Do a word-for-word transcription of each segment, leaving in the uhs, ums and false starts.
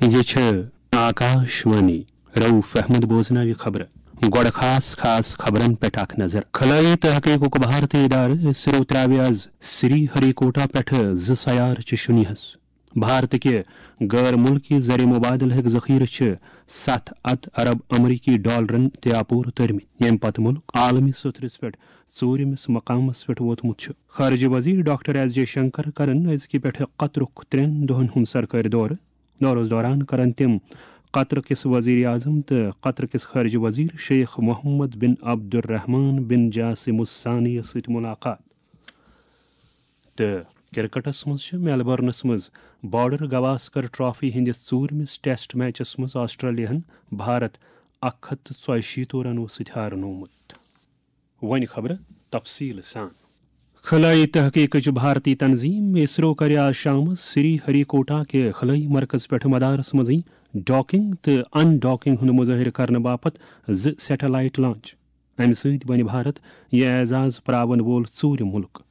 یہِ چھِ آکاش وانی۔ رؤف احمد بوزناوِ خبرٕ۔ گۄڈٕ خاص خاص خبرن پٮ۪ٹھ اکھ نظر۔ خلٲیی تحقیقُک بھارتی ادارٕ اسرو ترٛاوِ آز سری ہری کوٹا پٮ۪ٹھٕ زٕ سیارٕ چہِ شُنیہس۔ بھارتٕکہِ غٲر مُلکی زر مبادلہٕکۍ ذخیرٕ چھِ ستھ ہتھ ارب امریکی ڈالرن تہِ اپور تٔرمٕتۍ، ییٚمہِ پتہٕ مُلک عالمی سطحس پٮ۪ٹھ ژوٗرِمِس مقامس پٮ۪ٹھ ووتمُت چھُ۔ خارجہ وزیر ڈاکٹر ایس جے شنکر کرن أزکہِ پٮ۪ٹھٕ قطرُک ترٛٮ۪ن دۄہن ہُنٛد سرکٲرۍ دورٕ۔ دورس دوران کرن تِم قطر کِس وزیر اعظم تہٕ قطر کِس خارجہ وزیر شیخ محمد بن عبدالرحمان بن جاسم الثانی یَس سۭتۍ ملاقات۔ تہٕ کرکٹس منٛز چھِ میلبورنس منٛز بارڈر گواسکر ٹرافی ہٕنٛدِس ژوٗرمِس ٹیسٹ میچس منٛز آسٹریلیاہن بھارت اکھ ہتھ تہٕ ژۄیہِ شیٖتو رنو سۭتۍ ہارنوومُت۔ وۄنۍ خبرٕ تفصیٖل سان۔ خلٲیی تحقیقٕچ بھارتی تنظیم اسرو کَرِ آز شامَس سری ہری کوٹا کہِ خلٲیی مرکز پٮ۪ٹھ مدارس منٛزٕے ڈاکنگ تہٕ ان ڈاکنگ ہُنٛد مظٲہرٕ کرنہٕ باپتھ زٕ سیٹلائٹ لانچ۔ اَمہِ سۭتۍ بنہِ بھارت یہِ اعزاز پراون وول ژوٗرِم مُلک۔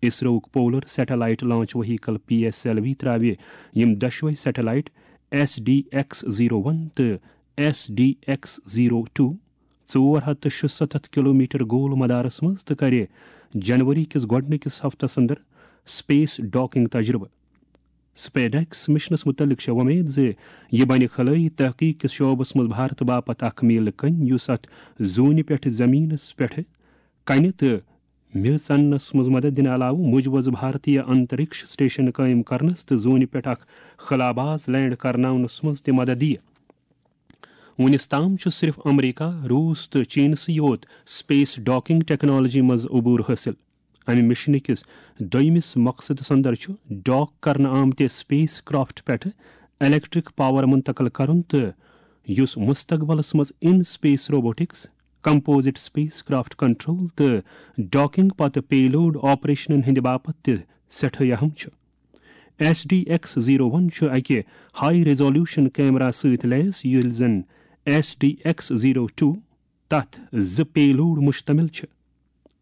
اسروُک polar satellite launch vehicle P S L V ترٛاوِ یِم دۄشوے satellite S D X zero one تہٕ S D X zero two ژور ہتھ تہٕ شُستتھ کلومیٹر گول مدارس منٛز تہٕ کرِ جنوری کِس گۄڈٕنِکِس ہفتس اندر سپیس ڈاکنگ تجربہٕ۔ سپیڈیکس مشنس متعلق چھےٚ وۄمید زِ یہِ بنہِ خلٲیی تحقیق کِس شعبس منٛز بھارت باپتھ اکھ میلہٕ کٔنۍ، یُس اتھ زوٗنہِ پٮ۪ٹھ زمینس پٮ۪ٹھ کنہِ تہٕ میٚژ اننس منٛز مدد دِنہٕ علاوٕ مُجوز بھارتیہ انترکش سٹیشن قٲیِم کرنس تہٕ زوٗنہِ پٮ۪ٹھ اکھ خلاباز لینڈ کرناونس منٛز تہِ مدد دِیہِ۔ وُنِس تام چھُ صرف امریکہ، روٗس تہٕ چینسٕے یوت سپیس ڈاکنگ ٹیکنالوجی منٛز عبور حٲصِل۔ امہِ مشنہٕ کِس دوٚیمِس مقصدس اندر چھُ ڈاک کرنہٕ آمتہِ سپیس کرافٹ پٮ۪ٹھٕ الیکٹرک پاور منتقل کرُن، تہٕ یُس مستقبلس منٛز in space robotics, composite spacecraft control تہٕ ڈاکنگ پتہٕ پے لوڈ آپریشنن ہٕنٛدِ باپتھ تہِ سٮ۪ٹھاہ اہم چھُ۔ S D X zero one چھُ اکہِ ہائی ریزولوشن کیمرا سۭتۍ لیس، ییٚلہِ زن S D X zero two تتھ زٕ پے لوڈ مشتمل چھِ۔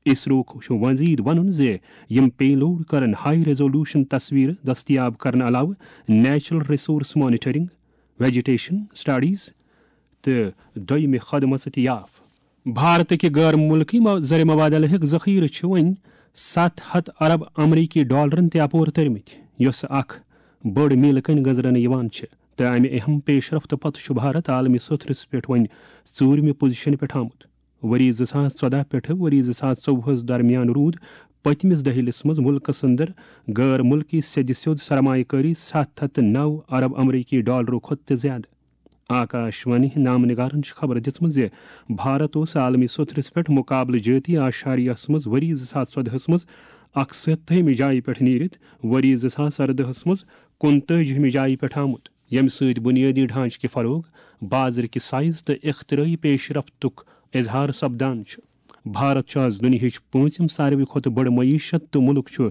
اسروُک چھُ مزید ونُن زِ یِم پے لوڈ کرن ہائی ریزولوشن تصویرٕ دستیاب کرنہٕ علاوٕ natural resource monitoring, vegetation studies تہٕ دوٚیمہِ خدمژٕ تہِ یاف۔ بھارتٕکہِ غٲر مُلکی مو-، زر مبادلہٕکۍ ذخیرٕ چھِ وۄنۍ ستھ ہتھ ارب امریکی ڈالرن تہِ اپور تٔرمٕتۍ، یۄس اکھ بٔڑ میلہٕ کٔنۍ گٔنزرنہٕ یِوان چھِ، تہٕ امہِ اہم پیش رفت پتہٕ چھُ بھارت عالمی سطحس پٮ۪ٹھ وۄنۍ ژوٗرمہِ پوزیشنہِ پٮ۪ٹھ آمُت۔ ؤری زٕ ساس ژۄدہ پٮ۪ٹھٕ ؤری زٕ ساس ژوٚوُہس درمیان روٗد پٔتمِس دٔہلِس منٛز مُلکس اندر غٲر مُلکی سیٚدِ سیوٚد سرمایہ کٲری ستھ ہتھ تہٕ نو ارب امریکی ڈالرو کھۄتہٕ تہِ زیادٕ۔ آکاش وانی نامہٕ نگارن چھِ خبر دِژمٕژ زِ بھارت اوس عالمی سطحس پٮ۪ٹھ مقابلہٕ جٲتی آشاریہس منٛز ؤری زٕ ساس ژۄدہس منٛز اکھ سَتٲہِمہِ جایہِ پٮ۪ٹھ نیٖرِتھ ؤری زٕ ساس اردہس منٛز کُنتٲجِہمہِ جایہِ پٮ۪ٹھ آمُت، ییٚمہِ سۭتۍ بُنیٲدی ڈھانچہٕ کہِ فروغ، بازرٕکہِ سائز تہٕ اختراعی پیش رفتُک اظہار سپدان چھُ۔ بھارت چھُ آز دُنیاہٕچ پوٗنٛژِم ساروی کھۄتہٕ بٔڑ معیشت تہٕ مُلک چھُ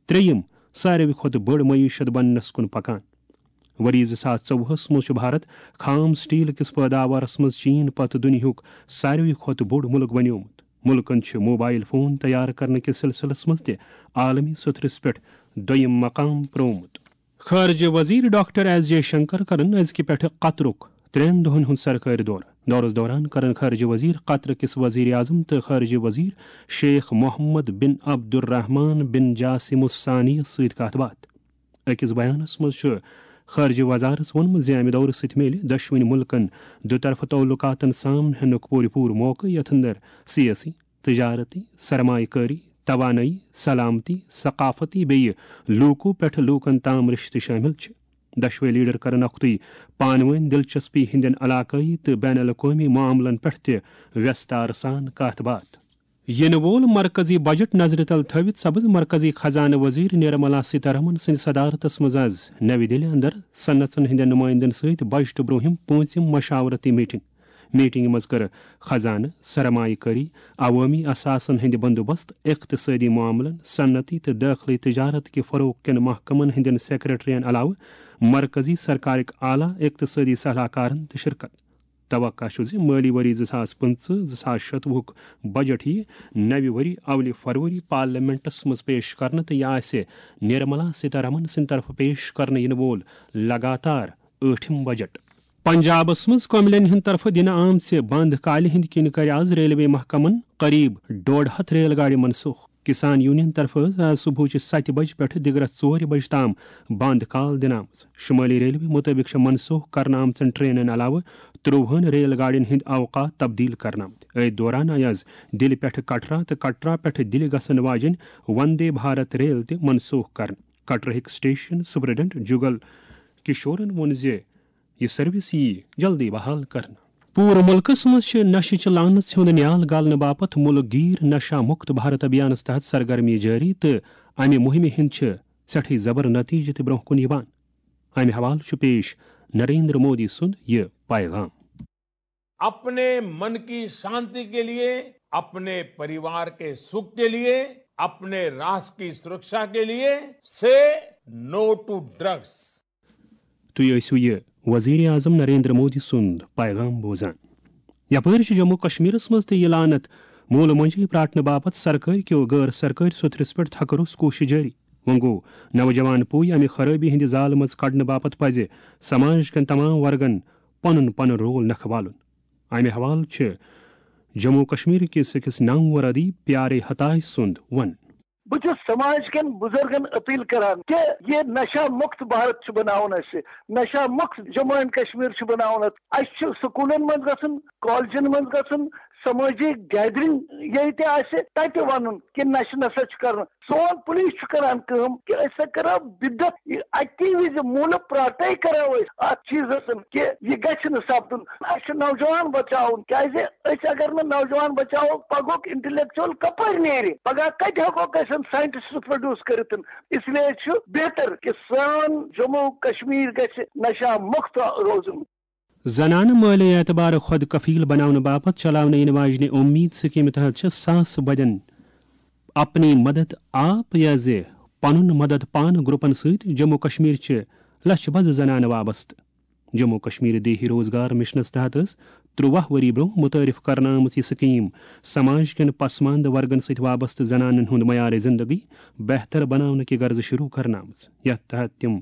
ترٛیٚیِم ساروی کھۄتہٕ بٔڑ معیشت بننَس کُن پکان۔ ؤری زٕ ساس ژوٚوُہس منٛز چھُ بھارت خام سٹیل کِس پٲداوارس منٛز چین پتہٕ دُنیاہُک ساروی کھۄتہٕ بوٚڑ مُلک بنیومُت۔ مُلکن چھُ موبائل فون تیار کرنہٕ کِس سلسلس منٛز تہِ عالمی سطحس پٮ۪ٹھ دوٚیِم مقام پرومُت۔ خارجہ وزیر ڈاکٹر ایس جے شنکر کرن أزکہِ پٮ۪ٹھٕ قطرُک ترٛٮ۪ن دۄہن ہُنٛد سرکٲرۍ دورٕ۔ دورس دوران کرن خارجہ وزیر قطر کِس وزیر اعظم تہٕ خارجہ وزیر شیخ محمد بن عبدالرحمان بن جاسم الثانی یَس سۭتۍ کتھ باتھ۔ أکِس بیانس منٛز چھُ خارجہ وزارت ووٚنمُت زِ امہِ دورٕ سۭتۍ میلہِ دۄشوٕنی مُلکن دُطرفہٕ تعلقاتن سام ہینُک پوٗرٕ پوٗرٕ موقعہٕ، یتھ اندر سیٲسی، تجارتی، سرمایہ کٲری، توانٲیی، سلامتی، ثقافتی بیٚیہِ لوٗکو پٮ۪ٹھ لوٗکن تام رشتہٕ شٲمِل چھِ۔ دۄشوے لیڈر کرن اکھتُے پانہٕ وٲنۍ دلچسپی ہٕنٛدٮ۪ن علاقٲیی تہٕ بین الاقوٲمی معاملن پٮ۪ٹھ تہِ وٮ۪ستار سان کتھ باتھ۔ یِنہٕ وول مرکزی بجٹ نظرِ تل تھٲوِتھ سپٕز مرکزی خزانہٕ وزیر نرملا سیتارمن سٕنٛدِ صدارتس منٛز از نَوِ دِلہِ اندر صنعژن ہٕنٛدٮ۪ن نُمٲیندن سۭتۍ بجٹہٕ برونٛہِم پوٗنٛژِم مشاورتی میٹنگ۔ میٹنگہِ منٛز کٔر خزانہٕ، سرمایہ کٲری، عوٲمی اثاثن ہٕنٛدِ بندوبست، اقتصٲدی معاملن، صنعتی تہٕ دٲخلی تجارت کہِ فروغ کٮ۪ن محکمن ہٕنٛدٮ۪ن سیکرٹرین علاوٕ مرکزی سرکارٕکۍ اعلیٰ اقتصٲدی صلاح کارن تہِ شرکت۔ توقع چھُ زِ مٲلی ؤری زٕ ساس پٕنٛژٕہ زٕ ساس شتوُہُک بجٹ یِیہِ نَوِ ؤری اولہِ فروری پارلیمنٹس منٛز پیش کرنہٕ تہٕ یہِ آسہِ نرملا سیتارمن سٕنٛدِ طرفہٕ پیش کرنہٕ یِنہٕ وول لگاتار ٲٹھِم بجٹ۔ پنجابس منٛز کملین ہٕنٛدِ طرفہٕ دِنہٕ آمژِ بند کالہِ ہٕنٛدِ کِنۍ کَرِ آز ریلوے محکمن قریب ڈۄڈ ہتھ ریل گاڑِ منسوخ۔ کسان یونین طرفہٕ ٲس آز صبحٕچہِ ستہِ بجہِ پٮ۪ٹھٕ دِگرس ژورِ بجہِ تام بند کال دِنہٕ آمٕژ۔ شمٲلی ریلوے مُطٲبِق چھِ منسوخ کرنہٕ آمژن ٹرینن علاوٕ ترٛوہن ریل گاڑین ہٕنٛدۍ اوقات تبدیل کرنہٕ آمٕتۍ۔ أتھۍ دوران آیہِ آز دِلہِ پٮ۪ٹھٕ کٹرا تہٕ کٹرا پٮ۪ٹھٕ دِلہِ گژھن واجٮ۪ن وندے بھارت ریل تہِ منسوخ کرنہٕ۔ کٹرہٕکۍ سٹیشن سپرنٹنڈنٹ جگل کشورن ووٚن زِ یہِ سروس ییہِ جلدی بحال کرنہٕ۔ پوٗرٕ مُلکَس منٛز چھِ نشہٕ چہِ لعنژ ہُنٛد نیال گالنہٕ باپتھ مُلک گیر نشہ مُکت بھارت ابھیانَس تحت سرگرمی جٲری تہٕ اَمہِ مُہِمہِ ہِنٛدۍ چھِ سٮ۪ٹھٕے زبر نتیجہٕ تہِ برٛونٛہہ کُن یِوان۔ اَمہِ حوالہٕ چھُ پیش نریندر مودی سُنٛد یہِ پیغام۔ اپنے من کی شانتی کے لیے, اپنے परिवार के सुख के लिए, अपने राष्ट्र की सुरक्षा के लिए, say no to drugs. تُہۍ ٲسِو یہِ وزیر اعظم نریندر مودی سُنٛد پیغام بوزان۔ یپٲرۍ چھُ جموں کشمیرس منٛز تہِ یہِ لعنت موٗلہٕ مۄنجہِ پراٹنہٕ باپتھ سرکٲرۍ کیو غٲر سرکٲرۍ سوٚتھرِس پٮ۪ٹھ تھکروس کوٗشش جٲری۔ وۄنۍ گوٚو نوجوان پُے امہِ خرٲبی ہٕنٛدِ زالہٕ منٛز کڑنہٕ باپتھ پزِ سماج کٮ۪ن تمام ورگن پنُن پنُن رول نکھٕ والُن۔ امہِ حوالہٕ چھِ جموں کشمیر کِس أکِس نامور ادیب پیارے ہتاش سُنٛد ونُن۔ بہٕ چھُس سماج کٮ۪ن بُزرگن اپیل کران کہِ یہِ نشہ مُکت بھارت چھُ بناوُن اَسہِ۔ نشہ مُکت جموں اینڈ کشمیر چھُ بناوُن اَتھ۔ اَسہِ چھُ سکوٗلن منٛز گژھُن، کالجن منٛز گژھُن، سمٲجی گیدرنگ ییٚتہِ آسہِ تَتہِ وَنُن کہِ نشہٕ نسا چھُ کرُن۔ سون پُلیٖس چھُ کران کٲم کہِ أسۍ ہسا کرو بدعت اَکی وِزِ موٗلہٕ پراٹے کرو أسۍ اَتھ چیٖزس کہِ یہِ گژھِ نہٕ سپدُن۔ اَسہِ چھُ نوجوان بچاوُن، کیازِ أسۍ اگر نہٕ نوجوان بچاوو، پگہُک انٹلیکچوئل کپٲرۍ نیرِ؟ پگاہ کتہِ ہٮ۪کوکھ أسۍ ساینٹسٹ پروڈیوس کٔرِتھ؟ اس لیے چھُ بہتر کہِ سون جموں کشمیر گژھِ نشہ مُکت روزُن۔ زنانہٕ مٲلی اعتبارٕ خۄد کفیل بناونہٕ باپتھ چلاونہٕ یِنہٕ واجنہِ اُمید سکیمہِ تحت چھِ ساسہٕ بَدٮ۪ن اپنی مدد آپ یا زِ پنُن مدد پانہٕ گروپن سۭتۍ جموں کشمیر چہِ لچھِ بَزٕ زنانہٕ وابستہٕ۔ جموں کشمیر دیہی روزگار مشنس تحت ٲس ترٛواہ ؤری برونٛہہ متعارف کرنہٕ آمٕژ یہِ سکیٖم سماج کٮ۪ن پسماندٕ ورگن سۭتۍ وابستہٕ زنانن ہُنٛد معیار زندگی بہتر بناونہٕ کہِ غرضہٕ شروع کرنہٕ آمٕژ، یتھ تحت تِم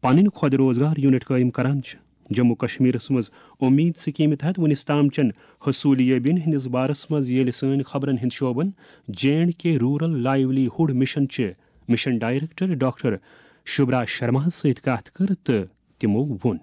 پنٕنۍ خۄد روزگار یونٹ قٲیِم کران چھِ۔ جموں کشمیرس منٛز اُمید سکیمہِ تحت وُنِس تام چٮ۪ن حصوٗلیٲبین ہٕنٛدِس بارس منٛز ییٚلہِ سٲنۍ خبرن ہٕنٛدۍ شعبن J and K rural livelihood mission چہِ مشن ڈائریکٹر ڈاکٹر شبرا شرماہس سۭتۍ کتھ کٔر تہٕ تِمو ووٚن۔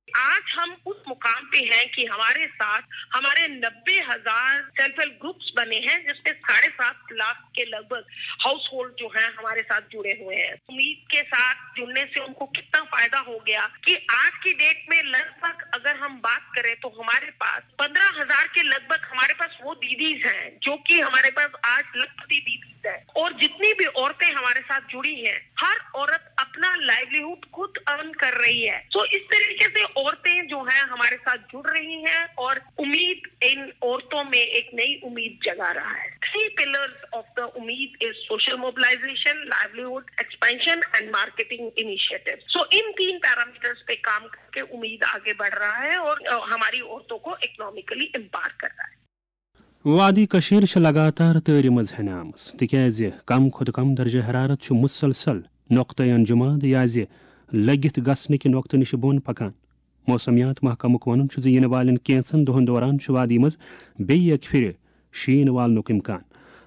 आज हम उस मुकाम पे हैं कि हमारे साथ हमारे नब्बे हजार सेल्फ हेल्प ग्रुप्स बने हैं, जिसमें साढ़े सात लाख के लगभग हाउस होल्ड जो हैं हमारे साथ जुड़े हुए हैं। उम्मीद के साथ जुड़ने से उनको कितना फायदा हो गया कि आज की डेट में लगभग अगर हम बात करें तो हमारे पास पन्द्रह हजार के लगभग हमारे पास वो दीदीज हैं जो कि हमारे पास आज लखपति दीदीज हैं, और जितनी भी औरतें हमारे साथ जुड़ी हैं, हर औरत अपना लाइवलीहुड खुद अर्न कर रही है। तो इस तरीके से औरतें जो हैं हमारे साथ जुड़ रही हैं और उम्मीद इन औरतों में एक नई उम्मीद जगा रहा है। Three pillars of the Umeed is social mobilization, livelihood expansion and marketing initiative. So इन तीन पैरामीटर्स पे काम करके उम्मीद आगे बढ़ रहा है और हमारी औरतों को इकोनॉमिकली एम्पावर कर रहा है। وادی کٔشیٖر چھِ لگاتار تۭرِ منٛز ہٮ۪نہٕ آمٕژ، تِکیازِ کم کھۄتہٕ کم درجہ حرارت چھُ مسلسل نقطہ انجماد یا زِ لٔگِتھ گژھنہٕ کہِ نقطہٕ نِش بۄن پکان۔ موسمیات محکمُک وَنُن چھُ زِ یِنہٕ والٮ۪ن کینٛژن دۄہَن دوران چھُ وادی منٛز بیٚیہِ اَکہِ پھِرِ شیٖن والنُک اِمکان۔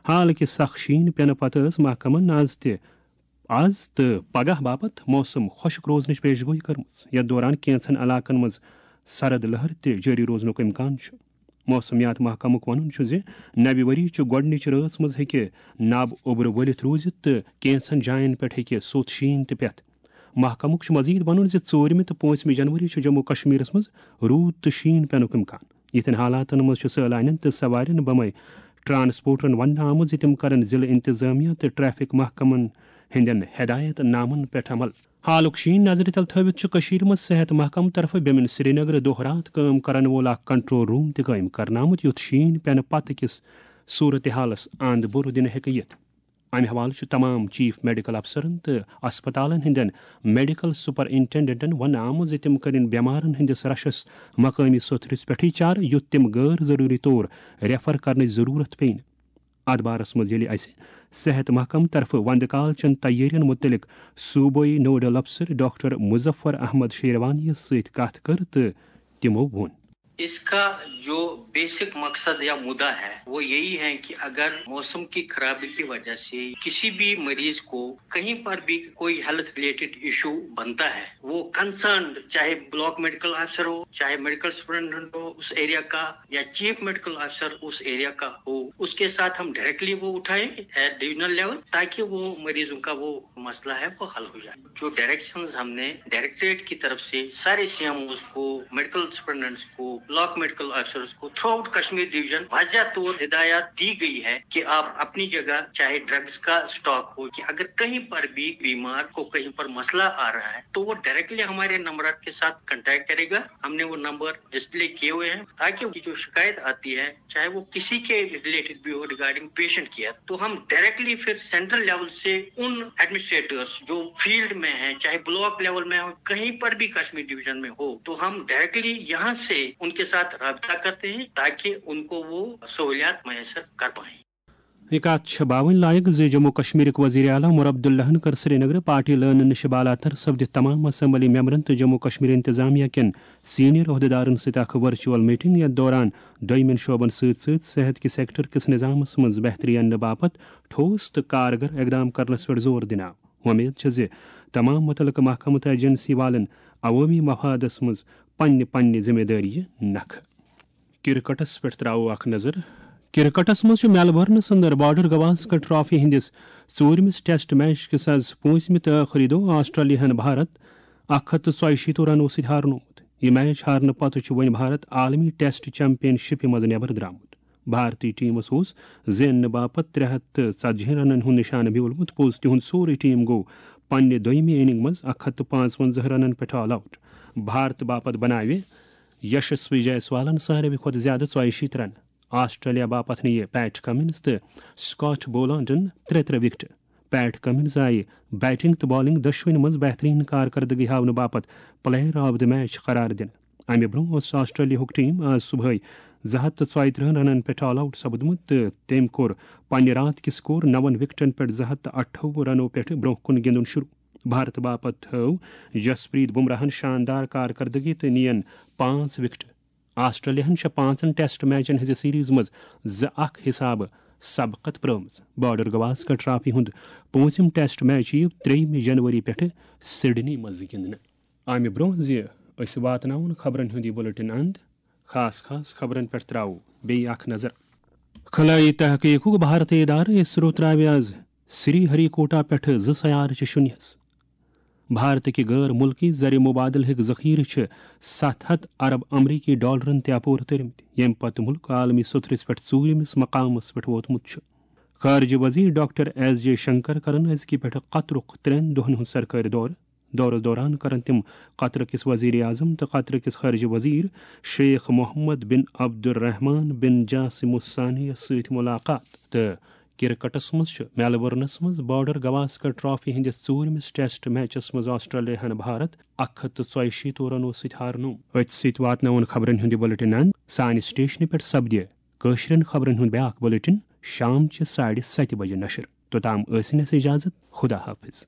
حالانکہِ سخ شیٖن پٮ۪نہٕ پتہٕ ٲس محکمَن آز تہِ آز تہٕ پگاہ باپتھ موسم خۄشٕک روزنٕچ پیش گویی کٔرمٕژ، یَتھ دوران کینٛژن علاقن منٛز سرد لہر تہِ جٲری روزنُک اِمکان چھُ۔ موسمیات محکمُک وَنُن چھُ زِ نَوِ ؤری چہِ گۄڈٕنِچہِ رٲژ منٛز ہیٚکہِ نَب اوٚبرٕ ؤلِتھ روٗزِتھ تہٕ کینٛژن جاین پٮ۪ٹھ ہیٚکہِ سوٚت شیٖن تہِ پٮ۪تھ۔ محکمُک چھُ مزید وَنُن زِ ژوٗرمہِ تہٕ پوٗنٛژمہِ جنوری چھُ جموں کشمیرس منٛز روٗد تہٕ شیٖن پٮ۪نُک اِمکان۔ یِتھٮ۪ن حالاتن منٛز چھُ سٲلانٮ۪ن تہٕ سوارٮ۪ن بمے ٹرانسپورٹرن وننہٕ آمُت زِ تِم کرن ضلعہٕ انتظامیہ تہٕ ٹریفک محکمن ہٕنٛدٮ۪ن ہدایت نامن پٮ۪ٹھ عمل۔ حالُک شیٖن نظرِ تل تھٲوِتھ چھُ کٔشیٖرِ منٛز صحت محکمہٕ طرفہٕ بیمِن سرینگرٕ دۄہ راتھ کٲم کرن وول اکھ کنٹرول روم تہِ قٲیِم کرنہٕ آمُت، یُتھ شیٖن پٮ۪نہٕ پتہٕ کِس صورتحالس اند بُرٕ دِنہٕ ہیٚکہِ یِتھ۔ امہِ حوالہٕ چھُ تمام چیف میڈیکل افسرن تہٕ اسپتالن ہٕنٛدٮ۪ن میڈیکل سپرنٹنڈنٹن وننہٕ آمُت زِ تِم کرن بٮ۪مارن ہٕنٛدِس رشس مقٲمی سوٚتھرِس پٮ۪ٹھٕے چارٕ، یُتھ تِم غٲر ضروٗری طور ریفر کرنٕچ ضروٗرت پیٚیہِ نہٕ۔ اتھ بارس منٛز ییٚلہِ اسہِ صحت محکمہٕ طرفہٕ وندٕ کال چٮ۪ن تیٲرین مُتعلق صوبٲئی نوڈل افسر ڈاکٹر مظفر احمد شیروانی یس سۭتۍ کتھ کٔر تہٕ تِمو ووٚن۔ اس کا جو بیسک مقصد یا مدعا ہے وہ یہی ہے کہ اگر موسم کی خرابی کی وجہ سے کسی بھی مریض کو کہیں پر بھی کوئی ہیلتھ ریلیٹڈ ایشو بنتا ہے، وہ کنسرنڈ چاہے بلاک میڈیکل آفیسر ہو، چاہے میڈیکل سپرنٹنڈنٹ ہو اس ایریا کا، یا چیف میڈیکل آفیسر اس ایریا کا ہو، اس کے ساتھ ہم ڈائریکٹلی وہ اٹھائیں ایٹ ڈویژنل لیول، تاکہ وہ مریضوں کا وہ مسئلہ ہے وہ حل ہو جائے۔ جو ڈائریکشنز ہم نے ڈائریکٹریٹ کی طرف سے سارے سی ایم اوز کو، میڈیکل سپرنٹنڈنٹس کو، بلاک میڈیکل آفیسرز کو، تھرو آؤٹ کشمیر ڈویژن واضح طور ہدایات دی گئی ہے کہ آپ اپنی جگہ چاہے ڈرگز کا اسٹاک ہو، کہ اگر کہیں پر بھی بیمار کو کہیں پر مسئلہ آ رہا ہے تو وہ ڈائریکٹلی ہمارے نمبرات کے ساتھ کانٹیکٹ کرے گا۔ ہم نے وہ نمبر ڈسپلے کیے ہوئے ہیں تاکہ ان کی جو شکایت آتی ہے، چاہے وہ کسی کے ریلیٹڈ بھی ہو، ریگارڈنگ پیشنٹ کیئر، تو ہم ڈائریکٹلی پھر سینٹرل لیول سے ان ایڈمنسٹریٹرز جو فیلڈ میں ہیں، چاہے بلاک لیول میں ہو، کہیں پر بھی کشمیر ڈویژن میں ہو، تو ہم ڈائریکٹلی یہاں سے ان کے ساتھ رابطہ کرتے ہیں تاکہ ان کو وہ سہولیات میسر کر پائیں۔ یہ کتھ چھِ باوٕنۍ لایق زِ جموں کشمیرٕکۍ وزیر اعلیٰ عمر عبداللہن کٔر سرینگرٕ پارٹی لٲنہٕ نِش بالاتر سپدِتھ تمام اسمبلی ممبرن تہٕ جموں کشمیر انتظامیہ کٮ۪ن سینئر عہدیدارن سۭتۍ اکھ ورچوئل میٹنگ، یتھ دوران دوٚیمٮ۪ن شعبن سۭتۍ سۭتۍ صحت کہِ سیکٹر کِس نظامس منٛز بہتری اننہٕ باپتھ ٹھوس تہٕ کارگر اقدام کرنس پٮ۪ٹھ زور دِنہٕ آو۔ وۄمید چھےٚ زِ تمام متعلقہٕ محکمہٕ تہٕ ایجنسی والن عوٲمی مفادس منٛز پننہِ پننہِ ذمہ دٲری نکھٕ۔ کرکٹس پٮ۪ٹھ تراوو اکھ نظر۔ کرکٹس منٛز چھُ میلبورنس اندر بارڈر گواسکر ٹرافی ہٕنٛدِس ژوٗرمِس ٹیسٹ میچ کِس از پوٗنٛژمہِ تہٕ ٲخری دۄہ آسٹریلیاہن بھارت اکھ ہتھ تہٕ ژۄیہِ شیٖتو رنو سۭتۍ ہارنومُت۔ یہِ میچ ہارنہٕ پتہٕ چھُ وۄنۍ بھارت عالمی ٹیسٹ چیمپین شپہِ منٛز نٮ۪بر درٛامُت۔ بھارتی ٹیمس اوس زیننہٕ باپتھ ترٛےٚ ہتھ تہٕ ژتجی رنن ہُنٛد نشانہٕ بیولمُت۔ پوٚز، تِہُنٛد سورُے ٹیم گوٚو پننہِ دوٚیمہِ اننگ منٛز اکھ ہتھ تہٕ پانٛژونزہ رنن پٮ۪ٹھ آل آوٹ۔ بھارت باپتھ بناوِ یشسوی جائسوالن ساروی کھۄتہٕ زیادٕ ژۄیہِ شیٖتھ رنہٕ۔ آسٹریلیا باپتھ نِیہِ پیٹ کمنز تہٕ سکاٹ بولانڈن ترٛےٚ ترٛےٚ وکٹہٕ۔ پیٹ کمنز آیہِ بیٹنگ تہٕ بالنگ دۄشوٕنی منٛز بہترین کارکردگی ہاونہٕ باپتھ پلیئر آف دی میچ قرار دِنہٕ۔ امہِ برونٛہہ اوس آسٹریلیاہُک ٹیم آز صبحٲے زٕ ہتھ تہٕ ژۄیہِ ترٕٛہن رنن پٮ۪ٹھ آل آوٹ سپدمُت تہٕ تٔمۍ کوٚر پننہِ راتھ کہِ سکور نون وکٹن پٮ۪ٹھ زٕ ہتھ تہٕ اٹھووُہ رنو پٮ۪ٹھ برونٛہہ کُن گِنٛدُن شروع۔ بھارت باپتھ تھٲو جسپریت بمراہن شاندار کارکردگی تہٕ نِین پانٛژھ وکٹہٕ۔ آسٹریلیاہن چھےٚ پانٛژن ٹیسٹ میچن ہٕنٛزِ سیریز منٛز زٕ اکھ حسابہٕ سبقت پرٲومٕژ۔ بارڈر گواسکر ٹرافی ہُنٛد پوٗنٛژِم ٹیسٹ میچ یِیہِ ترٛیٚیِمہِ جنوری پٮ۪ٹھٕ سڈنی منٛز گِنٛدنہٕ۔ امہِ برونٛہہ زِ أسۍ واتناوون خبرن ہُنٛد یہِ بُلٹن اند، خاص خاص خبرن پٮ۪ٹھ تراوو بیٚیہِ اکھ نظر۔ خلٲیی تحقیقُک بھارتی ادارٕ اسرو تراوِ از سری ہری کوٹا پٮ۪ٹھٕ زٕ سیارٕچہِ شُنیس۔ بھارتٕکہِ غٲر مُلکی زر مبادلہٕکۍ ذخیرٕ چھِ ستھ ہتھ ارب امریکی ڈالرن تہِ اپور تٔرمٕتۍ، ییٚمہِ پتہٕ مُلک عالمی سطحس پٮ۪ٹھ ژوٗرمِس مقامس پٮ۪ٹھ ووتمُت چھُ۔ خارجہ وزیر ڈاکٹر ایس جے شنکر کرن أزکہِ پٮ۪ٹھٕ قطرُک ترٛٮ۪ن دۄہن ہُنٛد سرکٲرۍ دورٕ۔ دورس دوران کرن تِم قطر کِس وزیر اعظم تہٕ قطر کِس خارجہ وزیر شیخ محمد بن عبدالرحمان بن جاسم الثانی یس سۭتۍ ملاقات تہٕ کرکٹس منٛز چھُ میلبورنس منٛز بارڈر گواسکر ٹرافی ہٕنٛدِس ژوٗرمِس ٹیسٹ میچس منٛز آسٹریلیاہن بھارت اکھ ہتھ تہٕ ژۄیہِ شیٖتو رنو سۭتۍ ہارنوو۔ أتھۍ سۭتۍ واتناوون خبرن ہُنٛد یہِ بُلٹن اند۔ سانہِ سٹیشنہٕ پٮ۪ٹھ سپدِ کٲشرٮ۪ن خبرن ہُنٛد بیاکھ بُلٹن شام چہِ ساڑِ ستہِ بجہِ نشر۔ توٚتام ٲسِن اَسہِ اجازت۔ خدا حافظ۔